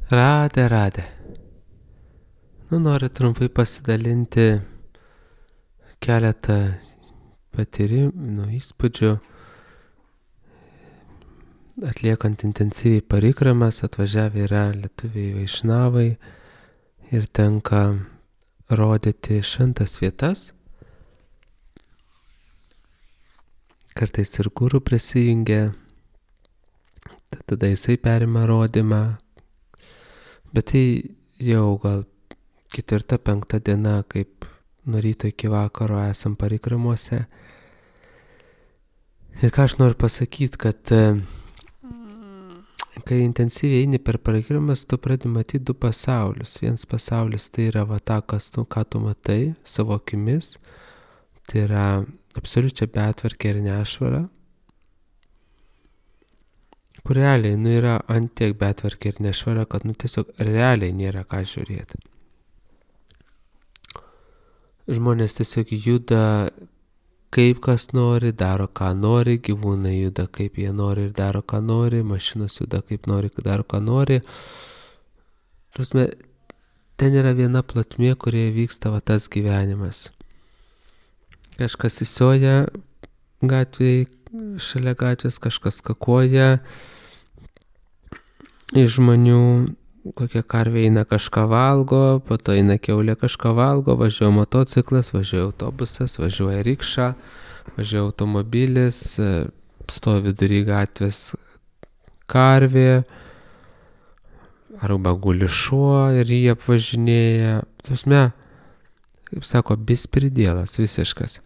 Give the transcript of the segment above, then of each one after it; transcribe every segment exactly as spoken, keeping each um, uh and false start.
Radė, radė. Nu, noriu trumpai pasidalinti keletą patyrimų, nu, įspūdžių. Atliekant intensyviai parikramas, atvažiavę yra lietuviai vaišnavai ir tenka rodyti šventas vietas. Kartais ir guru prisijungia, tada jisai perima rodymą. Bet tai jau gal ketvirta, penkta diena, kaip nuo ryto iki vakaro esam parikramuose. Ir ką aš noriu pasakyti, kad kai intensyviai eini per parikramas, tu pradedi matyti du pasaulius. Vienas pasaulis tai yra va ta, kas tu, ką tu matai savo akimis. Tai yra absoliučia betvarkė ir nešvara. Kur realiai, nu, yra ant tiek betvarkė ir nešvara, kad, nu, tiesiog realiai nėra ką žiūrėti. Žmonės tiesiog juda kaip kas nori, daro ką nori, gyvūnai juda kaip jie nori ir daro ką nori, mašinos juda kaip nori, daro ką nori. Prasme, ten yra viena plotmė, kurioje vyksta va tas gyvenimas. Kažkas įsioja gatvėje, šalia gatvės, kažkas kakoja, iš žmonių kokia karvė eina kažką valgo, po to eina kiaulė kažką valgo, važiuoja motociklas, važiuoja autobusas, važiuoja rikša, važiuoja automobilis, stovi vidury gatvės karvė, arba guli šuo ir jį apvažinėja. Tasme, kaip sako, bispridėlas visiškas.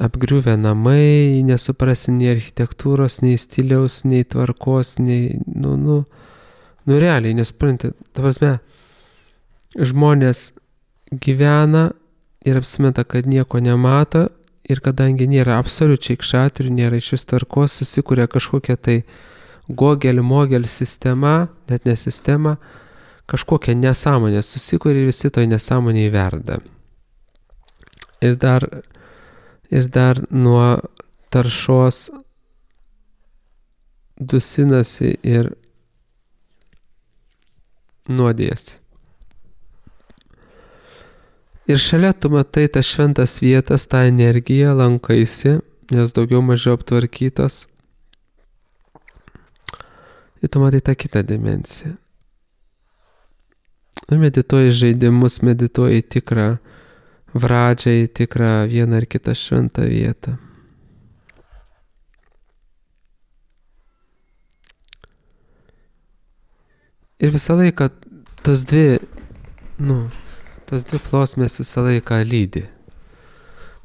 Apgriuvę namai, nesuprasi nei architektūros, nei stiliaus, nei tvarkos, nei, nu, nu, nu realiai, nesupranti, ta prasme, žmonės gyvena ir apsimeta, kad nieko nemato ir kadangi nėra absoliučiai kšatrių, nėra iš vis tvarkos, susikuria kažkokia tai gogel-mogel sistema, net ne sistema, kažkokia nesąmonė susikuria ir visi toj nesąmonėje verda. Ir dar Ir dar nuo taršos dusinasi ir nuodėsi. Ir šalia tu matai tas šventas vietas, tą energiją, lankaisi, nes daugiau mažiau aptvarkytos. Ir tu matai tą kitą dimensiją. Ir medituoji žaidimus, medituoji tikrą vradžiai, tikrą vieną ar kitą šventą vietą. Ir visą laiką tos dvi, nu, tos dvi plosmės visą laiką lydi.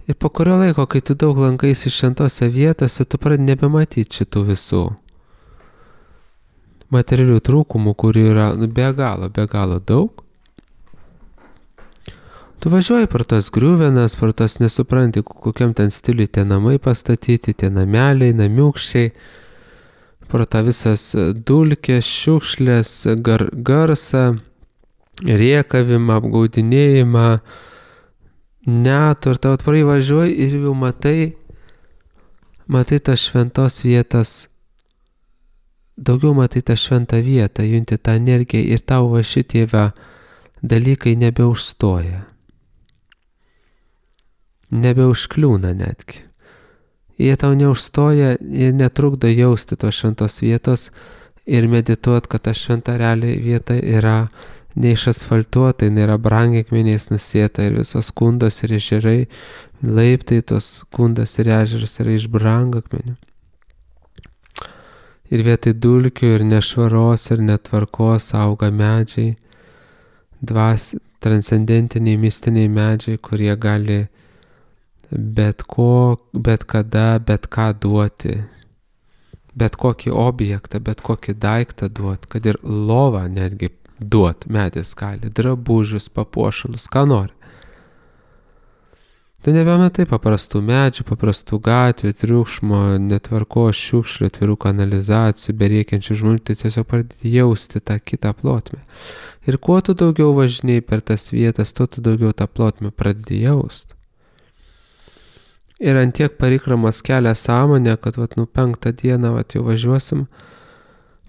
Ir po kurio laiko, kai tu daug lankaisi šventose vietose, tu pradedi nebematyti šitų visų materialių trūkumų, kurių yra, nu, be galo, be galo daug. Tu važiuoji per tas griuvenas, per tas nesupranti, kokiam ten stiliui tie namai pastatyti, tie nameliai, namiukščiai, per tą visas dulkės, šiukšlės, gar, garsą, riekavimą, apgaudinėjimą, net ir tau atvarai važiuoji ir jau matai, matai tas šventos vietas, daugiau matai tą šventą vietą, junti tą energiją ir tau va šitie va dalykai nebeužstoja. Nebeužkliūna netgi. Jie tau neužstoja ir netrukdo jausti tos šventos vietos ir medituot, kad ta šventa realiai vieta yra neišasfaltuota, nėra brangakmeniais nusėta ir visos kundos ir ežerai, laiptai tos kundos ir ežeras yra iš brangakmenių. Ir vietoj dulkių ir nešvaros ir netvarkos auga medžiai, dvas, transcendentiniai, mistiniai medžiai, kurie gali bet ko, bet kada, bet ką duoti, bet kokį objektą, bet kokį daiktą duoti, kad ir lovą netgi duoti medis gali, drabužius, papuošalus, ką nori. Tu nebematai paprastų medžių, paprastų gatvių, triukšmo, netvarkos, šiukšlių, atvirų kanalizacijų, beriekiančių žmonių, tai tiesiog pradedi jausti tą kitą plotmę. Ir kuo tu daugiau važinėjai per tas vietas, tuo tu daugiau tą plotmę pradedi jausti. Ir ant tiek parikramas kelia sąmonę, kad vat, nu, penktą dieną vat, jau važiuosim,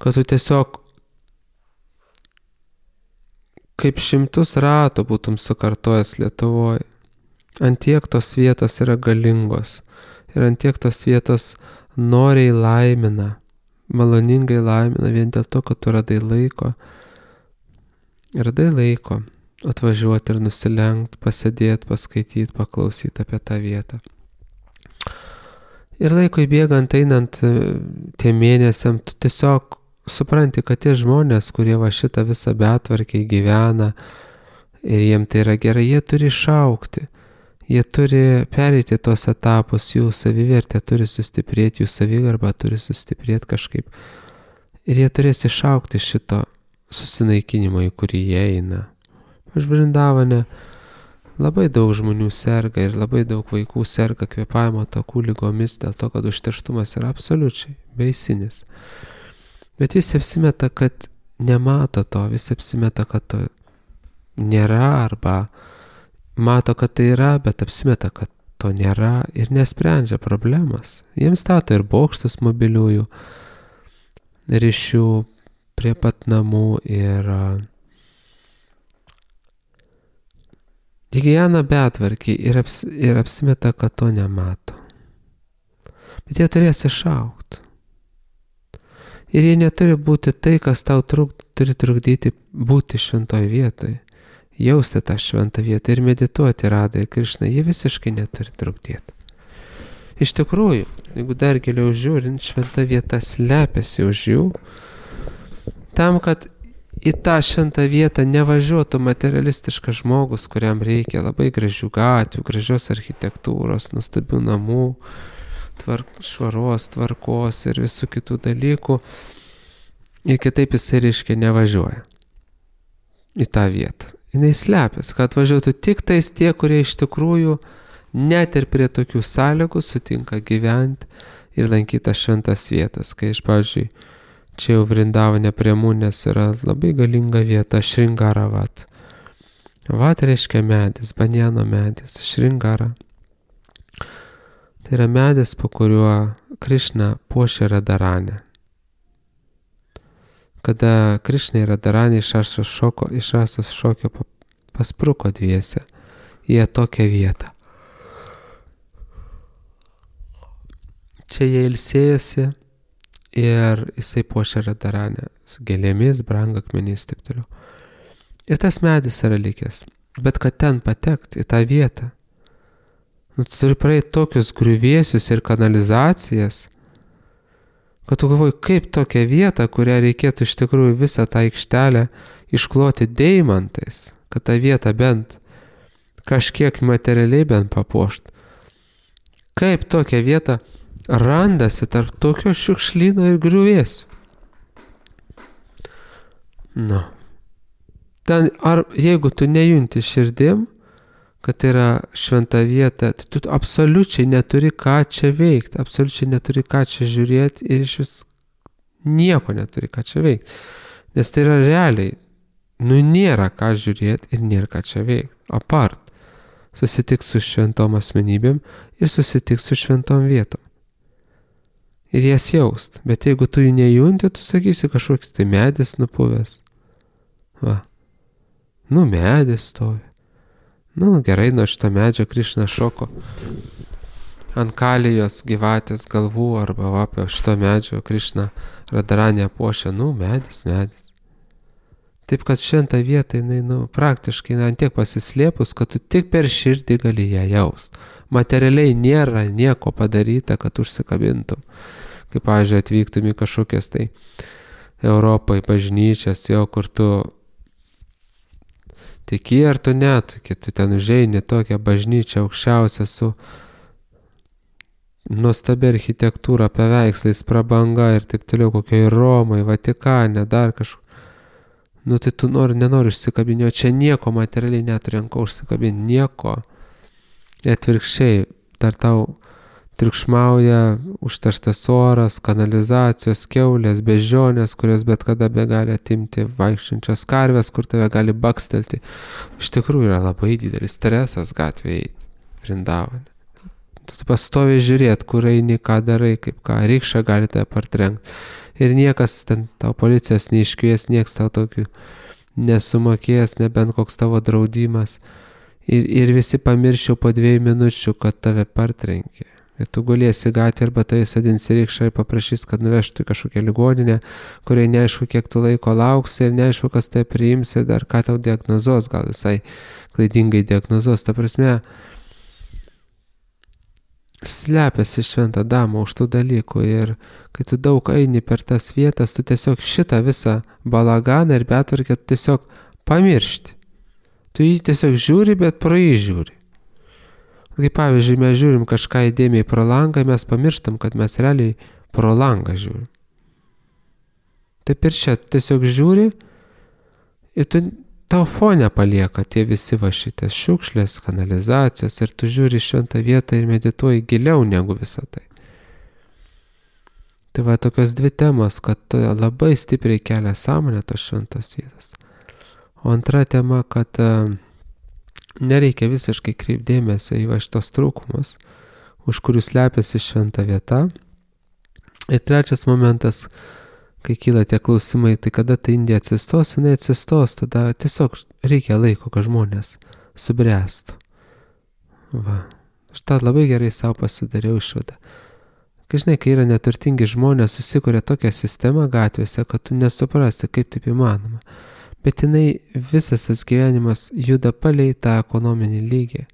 kad tu tiesiog kaip šimtus ratų būtum sukartojęs Lietuvoje. Antiek tos vietos yra galingos ir antiek tos vietos noriai laimina, maloningai laimina vien dėl to, kad tu radai laiko. Radai laiko atvažiuoti ir nusilenkt, pasėdėti, paskaityti, paklausyti apie tą vietą. Ir laikui bėgant, einant tie mėnesiam, tu tiesiog supranti, kad tie žmonės, kurie va šitą visą betvarkę gyvena ir jiem tai yra gerai, jie turi išaukti. Jie turi pereiti tos etapus, jų savivertė turi sustiprėti, jų savigarba turi sustiprėti kažkaip. Ir jie turės išaukti šito susinaikinimo, į kurį jie eina. Aš Vrindavane labai daug žmonių serga ir labai daug vaikų serga kvėpavimo takų ligomis dėl to, kad užterštumas yra absoliučiai baisinis. Bet visi apsimeta, kad nemato to, visi apsimeta, kad to nėra arba mato, kad tai yra, bet apsimeta, kad to nėra ir nesprendžia problemas. Jiems stato ir bokštus mobiliųjų ryšių prie pat namų ir jie gyvena betvarkiai ir, aps, ir apsimeta, kad to nemato. Bet jie turės išaukti. Ir jie neturi būti tai, kas tau truk, turi trukdyti būti šventoj vietoj. Jausti tą šventą vietą ir medituoti Radai Krišną, jie visiškai neturi trukdyti. Iš tikrųjų, jeigu dar giliau žiūrint, šventa vieta slepiasi už jų, tam, kad į tą šventą vietą nevažiuotų materialistiškas žmogus, kuriam reikia labai gražių gatvių, gražios architektūros, nuostabių namų, tvark, švaros, tvarkos ir visų kitų dalykų. Ir kitaip jisai reiškia nevažiuoja į tą vietą. Jis slepiasi, kad važiuotų tik tais tie, kurie iš tikrųjų net ir prie tokių sąlygų sutinka gyventi ir lankyti tas šventas vietas. Kai aš, pavyzdžiui, čia jau Vrindavane prie Munės yra labai galinga vieta, Šringara vat. Vat reiškia medis, banjano medis, Šringara. Tai yra medis, po kuriuo Krišna puošia Radaranę. Kada Krišna ir Radaranė iš Rasos šoko, iš Rasos šokio paspruko dviese į tokią vietą. Čia jie ilsėjosi ir jisai puošia Radaranę su gėlėmis, brangakmeniais ir taip toliau. Ir tas medis yra likęs. Bet kad ten patekti į tą vietą, nu, tu turi praeiti tokius griuvėsius ir kanalizacijas, kad tu galvoji, kaip tokią vietą, kurią reikėtų iš tikrųjų visą tą aikštelę iškloti deimantais, kad tą vietą bent kažkiek materialiai bent papuošt. Kaip tokią vietą randasi tarp tokio šiukšlyno ir griuvėsių. Nu. Ten, ar jeigu tu nejunti širdim, kad tai yra šventa vieta, tai tu absoliučiai neturi ką čia veikti, absoliučiai neturi ką čia žiūrėti ir iš vis nieko neturi ką čia veikti. Nes tai yra realiai, nu nėra ką žiūrėti ir nėra ką čia veikti. Apart, susitik su šventom asmenybėm ir susitik su šventom vietom. Ir jas jaust. Bet jeigu tu jų nejunti, tu sakysi kažkoks tai medis nupuvęs. Va. Nu medis stovi. Nu, gerai, nuo šito medžio Krišna šoko ant kalijos gyvatės galvų arba va, apie šito medžio Krišna Radaranę puošia, nu, medis, medis. Taip, kad šventą vietą, jinai, nu, praktiškai, na, ant tiek pasislėpus, kad tu tik per širdį gali ją jaust. Materialiai nėra nieko padaryta, kad užsikabintum. Kaip, pavyzdžiui, atvyktum į kažkokias tai Europai bažnyčias, jo, kur tu tiki ar tu net, kai tu ten užeini tokią bažnyčią aukščiausią su nuostabia architektūra, paveikslais, prabanga ir taip toliau, kokioje Romai, Vatikane, dar kažkur. Nu tai tu nori, nenori užsikabinti, o čia nieko materialiai neturi ant ko užsikabinti, nieko. Atvirkščiai, dar tau triukšmauja užterštas oras, kanalizacijos, kiaulės, beždžionės, kurios bet kada be gali atimti, vaikščiančios karvės, kur tave gali bakstelti. Iš tikrųjų yra labai didelis stresas gatvėje eiti, Vrindavane. Tu pastoviai žiūrėt, kur eini, ką darai, kaip ką, rykščia gali tave partrenkti. Ir niekas ten tau policijos neiškvies, nieks tau tokių nesumokės, nebent koks tavo draudimas. Ir, ir visi pamirščiau po dviejų minučių, kad tave partrenkė. Ir tu gulėsi gatvėje arba tai sodinsi rykšą ir paprašys, kad nuvežtų į kažkokią ligoninę, kuriai neaišku, kiek tu laiko lauksi ir neaišku, kas tai priims ir dar ką tau diagnozuos, gal visai klaidingai diagnozuos. Ta prasme, slepiasi šventą damą už tų dalykų ir kai tu daug eini per tas vietas, tu tiesiog šitą visą balaganą ir betvarkę tu tiesiog pamiršti. Tu jį tiesiog žiūri, bet pro jį žiūri. Kaip pavyzdžiui, mes žiūrim kažką įdėmiai pro langą, mes pamirštam, kad mes realiai pro langą žiūrim. Taip ir čia, tu tiesiog žiūri ir tu, tau fone palieka tie visi va šitas šiukšlės, kanalizacijos ir tu žiūri šventą vietą ir medituoji giliau negu visą tai. Tai va tokios dvi temos, kad labai stipriai kelia sąmonę tos šventos vietos. O antra tema, kad uh, nereikia visiškai kreipdėmėsio į va šitos trūkumus, už kurių slepiasi šventa vieta. Ir trečias momentas, kai kyla tie klausimai, tai kada ta Indija atsistos, jinai atsistos, tada tiesiog reikia laiko, kad žmonės subręstų. Va. Aš tą labai gerai savo pasidariau išvadą. Kai žinai, kai yra neturtingi žmonės, susikuria tokią sistemą gatvėse, kad tu nesuprasti, kaip taip įmanoma. Bet jinai visas tas gyvenimas juda palei tą ekonominį lygį.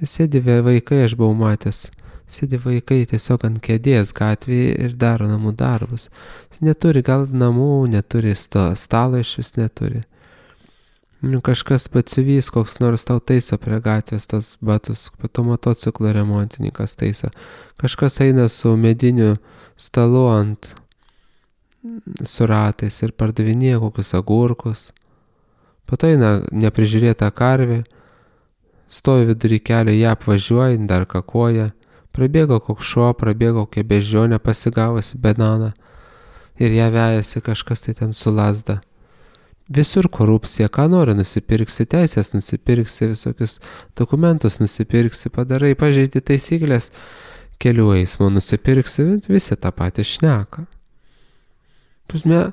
Sėdi vaikai, aš buvau matęs, sėdi vaikai tiesiog ant kėdės gatvėje ir daro namų darbus. Neturi gal namų, neturi stalo iš vis neturi. Nu, kažkas batsiuvys, koks nors tau taiso prie gatvės tas batus, pato motociklo remontininkas taiso. Kažkas eina su mediniu stalu ant su ratais ir pardavinėja kokius agurkus. Po to eina neprižiūrėta karvė, stovi vidury kelio, ją apvažiuoja, dar kakoja, prabėgo koks šuo, prabėgo kokia bežionė, pasigavosi bananą ir ją vejasi kažkas tai ten su lazda. Visur korupcija, ką nori nusipirksi, teisės nusipirksi, visokius dokumentus nusipirksi, padarai, pažeidi taisyklės, kelių eismo nusipirksi, visi tą patį šneka. Pusme,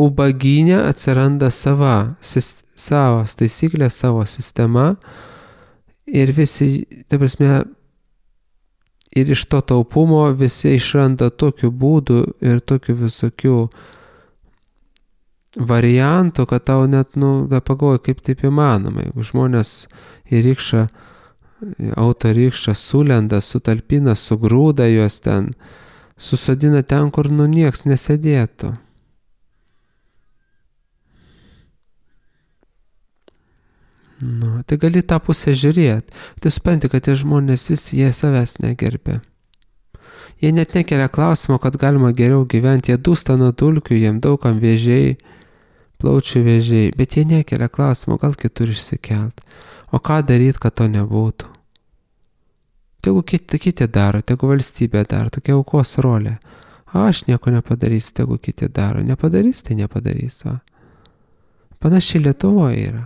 ubagynė atsiranda sava, sis, savas taisyklės, savo sistema ir visi, ta prasme, ir iš to taupumo visi išranda tokių būdų ir tokių visokių variantų, kad tau net, nu, da pagalvoji, kaip taip įmanoma. Jeigu žmonės į rykšą, autorykšą sulenda, sutalpina, sugrūda juos ten, susodina ten, kur nu nieks nesėdėtų. Nu, tai gali tą pusę žiūrėti. Tai supranti, kad tie žmonės visi, jie savęs negerbė. Jie net nekelia klausimo, kad galima geriau gyventi. Jie dūsta nuo dulkių, jiem daugam vėžiai, plaučių vėžiai, bet jie nekelia klausimo, gal kitur išsikelt. O ką daryti, kad to nebūtų? Tegu kiti, kiti daro, tegu valstybė daro, tokia aukos rolė. A, aš nieko nepadarysiu, tegu kiti daro. Nepadarys, tai nepadarys. Va. Panašiai Lietuvoje yra.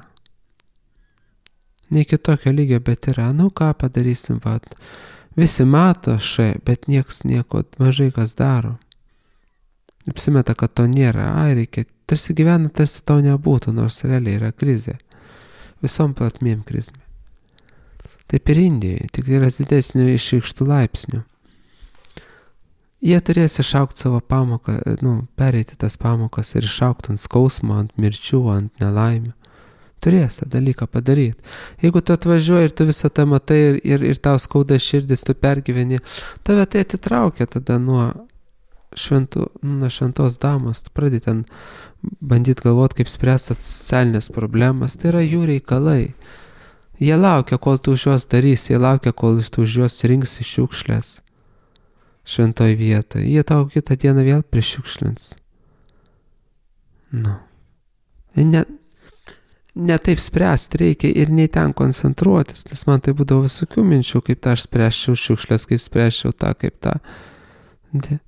Ne kitokio lygio, bet yra. Nu, ką padarysim, va. Visi mato šai, bet nieks nieko mažai kas daro. Apsimeta, kad to nėra. Ai, reikia. Tarsi gyvena, tarsi to nebūtų, nors realiai yra krizė. Visom platmėm krizmė. Taip ir Indijoje, tik yra didesnių išreikštų laipsnių. Jie turės išaukti savo pamoką, nu, pereiti tas pamokas ir išaukti ant skausmo, ant mirčių, ant nelaimių. Turės tą dalyką padaryti. Jeigu tu atvažiuoji ir tu visą tą matai ir, ir, ir tau skauda širdis, tu pergyveni, tave tai atitraukia tada nuo, šventų, nuo šventos damos. Tu pradedi ten bandyti galvoti, kaip spręstas socialinės problemas. Tai yra jų reikalai. Jie laukia, kol tu už juos darysi, jie laukia, kol tu už juos rinksi šiukšlės šventoj vietoje. Jie tau kitą dieną vėl prišiukšlins. Nu. Ne, ne taip spręsti reikia ir nei ten koncentruotis, nes man tai būdavo visokių minčių, kaip tą aš spręsčiau šiukšlės, kaip spręsčiau tą, kaip tą. De.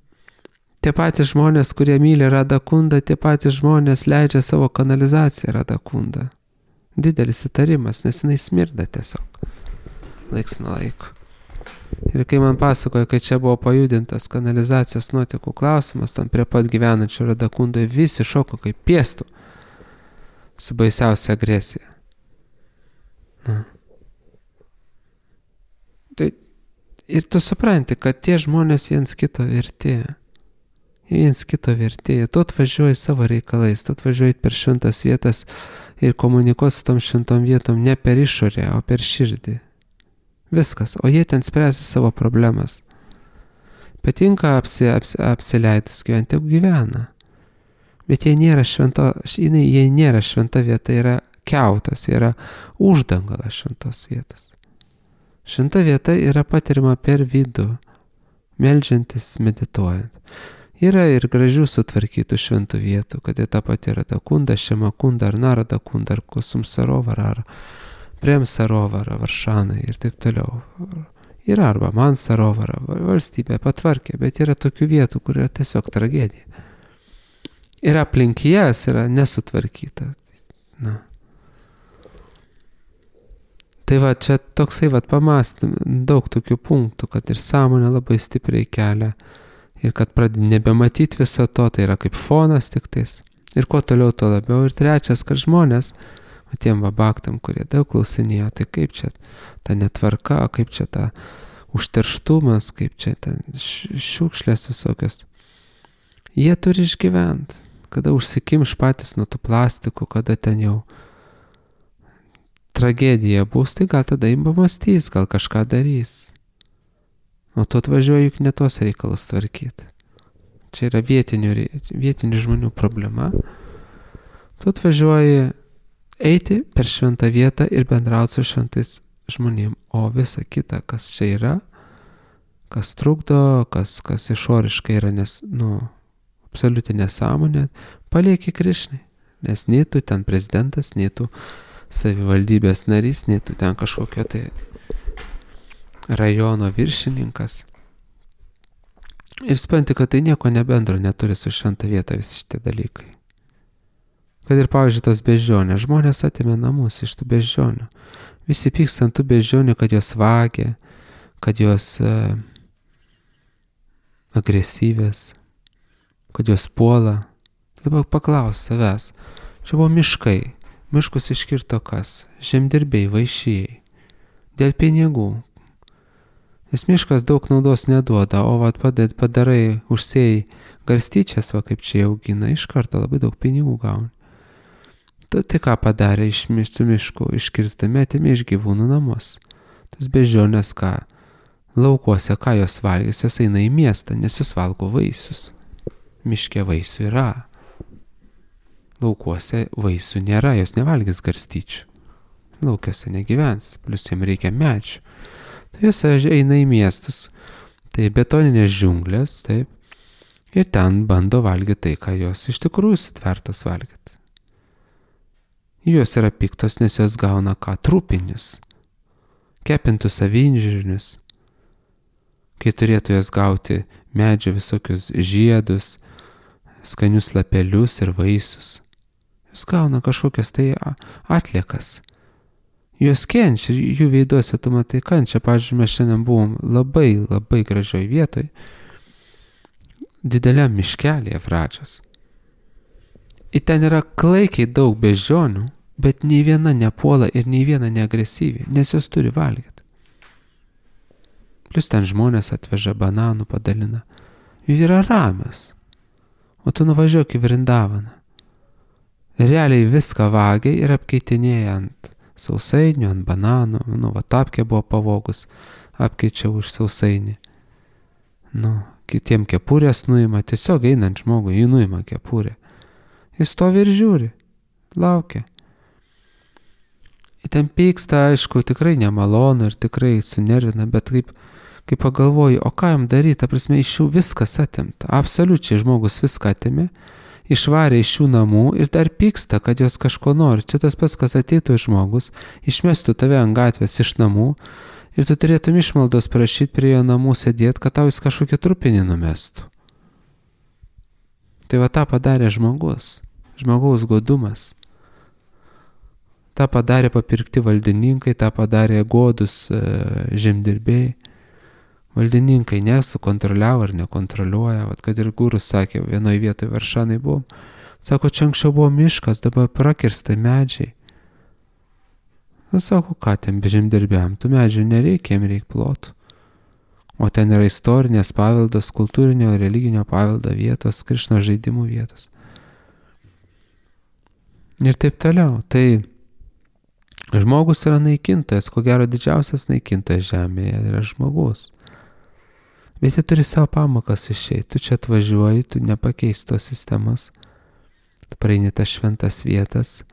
Tie patys žmonės, kurie myli Radakundą, tie patys žmonės leidžia savo kanalizaciją Radakundą. Didelis įtarimas, nes jinai smirda tiesiog. Laiks nuo laiko. Ir kai man pasakoja, kad čia buvo pajudintas kanalizacijos nuotekų klausimas, tam prie pat gyvenančių Radakundoje visi šoko kaip piestų. su baisiausia agresija. Na. Tai ir tu supranti, kad tie žmonės viens kito verti. Viens kito verti. Tu atvažiuoji savo reikalais, tu atvažiuoji per šventas vietas ir komunikuoti su tom šventom vietom ne per išorę, o per širdį. Viskas. O jie ten spręsi savo problemas. Patinka apsi, apsi, apsileidus gyventi, jeigu gyvena. Bet jie nėra švento, jie, jie nėra šventa vieta, yra kiautas, yra uždangalas šventos vietos. Šventa vieta yra patirima per vidų, meldžiantis, medituojant. Yra ir gražių sutvarkytų šventų vietų, kad jie tą pat yra Dakunda, Šemakunda, ar Narada Kunda, ar Kusum Sarovara, ar Prem Sarovara, Varšanai ir taip toliau. Yra arba Man Sarovara, valstybė patvarkė, bet yra tokių vietų, kur yra tiesiog tragedija. Ir aplink jas yra nesutvarkyta. Na. Tai va, čia toksai va pamastym, daug tokių punktų, kad ir sąmonė labai stipriai kelia. Ir kad pradedi nebematyti viso to, tai yra kaip fonas tik tais. Ir kuo toliau, to labiau. Ir trečias, kad žmonės, o tiem vabaktam, kurie daug klausinėjo, tai kaip čia ta netvarka, kaip čia ta užterštumas, kaip čia ta šiukšlės visokios. Jie turi išgyventi, kada užsikimš patys nuo tų plastikų, kada ten jau tragedija bus, tai gal tada įmamastys, gal kažką darys. O tu atvažiuoji juk ne tos reikalus tvarkyti. Čia yra vietinių, vietinių žmonių problema. Tu atvažiuoji eiti per šventą vietą ir bendrauti su šventais žmonėm. O visa kita, kas čia yra, kas trukdo, kas, kas išoriškai yra nes, nu, absoliuti nesąmonė, palieki Krišnai. Nes nei tu ten prezidentas, nei tu savivaldybės narys, nei tu ten kažkokio tai rajono viršininkas. Ir supranti, kad tai nieko nebendro neturi su šventa vieta visi šitie dalykai. Kad ir, pavyzdžiui, tos beždžionės, žmonės atėmė namus iš tų beždžionių. Visi pyksta ant tų beždžionių, kad jos vagia, kad jos uh, agresyvės, kad jos puola. Dabar paklaus savęs, čia buvo miškai, miškus iškirto kas, žemdirbiai, vaišėjai, dėl pinigų. Nes miškas daug naudos neduoda, o vat padarai, užsėjai garstyčias, va kaip čia augina, iš karto labai daug pinigų gauni. Tu tai ką padarė iš miškų, iškirstami atėmė iš gyvūnų namus. Tas beždžionės ką, laukuose ką jos valgys, jos eina į miestą, nes jos valgo vaisius. Miške vaisių yra. Laukuose vaisių nėra, jos nevalgys garstyčių. Laukiuose negyvens, plus jiem reikia medžių. Tai jos eina į miestus, tai betoninės džiunglės, taip, ir ten bando valgyti tai, ką jos iš tikrųjų sutvertos valgyti. Jos yra piktos, nes jos gauna ką trupinius, kepintus avinžirnius, kai turėtų jos gauti medžio visokius žiedus, skanius lapelius ir vaisius. Jos gauna kažkokias tai atliekas. Jos kenčia, jų veiduose tu matai kančią. Pavyzdžiui, mes šiandien buvom labai, labai gražioj vietoj, dideliam miškelėje Vračas. Ir ten yra klaikiai daug beždžionių, bet nei viena nepuola ir nei viena neagresyvi, nes jos turi valgyti. Plius ten žmonės atveža bananų, padalina. Jų yra ramios. O tu nuvažiuok į Vrindavaną. Realiai viską vagia ir apkeitinėja ant sausainių, ant bananų, nu, va, tapkė buvo pavogus, apkeičia už sausainį. Nu, kitiem kepurės nuima, tiesiog einant žmogui, jį nuima kepurė. Jis stovi ir žiūri, laukia. Ir ten pyksta, aišku, tikrai nemalonu ir tikrai sunervina, bet kaip, kaip pagalvoju, o ką jam daryti, ta prasme, iš jų viskas atimta, absoliučiai žmogus viską atimė, išvarė iš jų namų ir dar pyksta, kad jos kažko nori. Čia tas pats, kas ateitų žmogus, išmestų tave ant gatvės iš namų ir tu turėtum išmaldos prašyti prie jo namų sėdėti, kad tau jis kažkokį trupinį numestų. Tai va tą padarė žmogus, žmogaus godumas. Ta padarė papirkti valdininkai, ta padarė godus e, žemdirbiai. Valdininkai nesukontroliavo ar nekontroliuoja, vat kad ir gurus sakė, vienoje vietoje Varšanai buvom, Sako, čia anksčiau buvo miškas, dabar prakirsta medžiai. Na, sako, ką ten žemdirbiam, tų medžių nereikia, jiem reikia plotų. O ten yra istorinės paveldas, kultūrinio, religinio paveldo vietos, Krišnos žaidimų vietos. Ir taip toliau. Tai žmogus yra naikintojas, ko gero didžiausias naikintojas žemėje yra žmogus. Bet jie turi savo pamokas išeiti. Tu čia atvažiuoji, tu nepakeisi tos sistemas. Tu praeini tas šventas vietas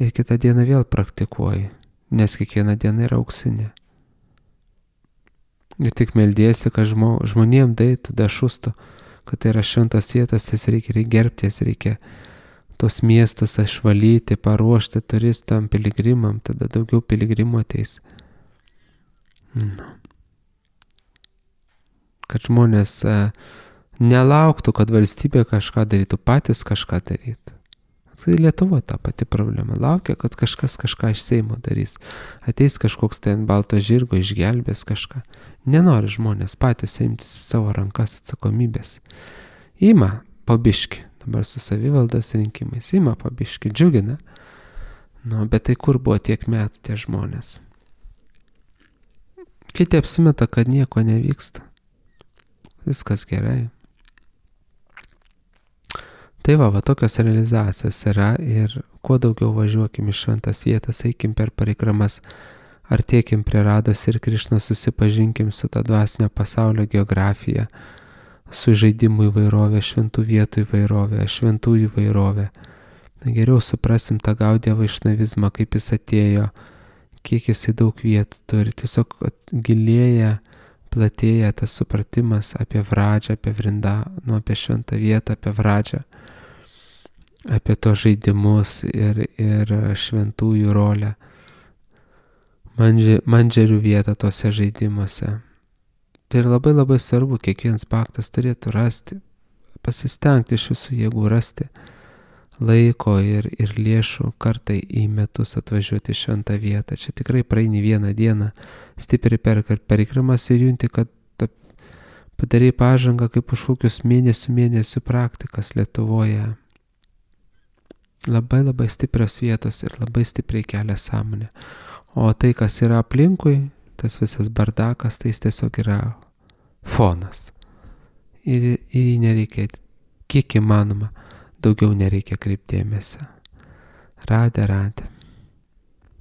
ir kitą dieną vėl praktikuoji, nes kiekviena diena yra auksinė. Ir tik meldiesi, kad žmo, žmonėm daitų, dašustų, kad tai yra šventas vietas, jas reikia, reikia gerbti, jas reikia tos miestus išvalyti, paruošti turistam, piligrimam, tada daugiau piligrimų ateis. No. Kad žmonės a, nelauktų, kad valstybė kažką darytų, patys kažką darytų. Tai Lietuvoje ta pati problema. Laukia, kad kažkas kažką iš Seimo darys. Ateis kažkoks ten balto žirgo, išgelbės kažką. Nenori žmonės patys imtis savo rankas atsakomybės. Ima pabiški. Dabar su savivaldos rinkimais. Ima pabiški. Džiugina. Nu, bet tai kur buvo tiek metų tie žmonės? Kiti apsimeta, kad nieko nevyksta. Viskas gerai. Tai va, va, tokios realizacijos yra ir kuo daugiau važiuokim iš šventas vietas, eikim per parikramas, artėkim prie Rados ir Krišnos, susipažinkim su ta dvasinio pasaulio geografija, su žaidimų įvairovė, šventų vietų įvairovė, šventų įvairovė. Geriau suprasim tą Gaudiją vaišnavizmą, kaip jis atėjo, kiek jisai daug vietų turi, tiesiog gilėja, platėja tas supratimas apie Vradžią, apie Vrindą, nu, apie šventą vietą, apie Vradžią, apie tos žaidimus ir, ir šventųjų rolę, Mandži, mandžerių vietą tose žaidimuose. Tai ir labai labai svarbu, kiekvienas baktas turėtų rasti, pasistengti iš visų jėgų rasti laiko ir, ir lėšų kartai į metus atvažiuoti į šventą vietą. Čia tikrai praeini vieną dieną, stipriai per perikrimas ir junti, kad padarai pažangą kaip už kokius mėnesių mėnesių praktikas Lietuvoje. Labai labai stiprios vietos ir labai stipriai kelia sąmonę. O tai, kas yra aplinkui, tas visas bardakas, tai jis tiesiog yra fonas. Ir, ir jį nereikia, kiek įmanoma, daugiau nereikia kreipti dėmesio. Radė, radė.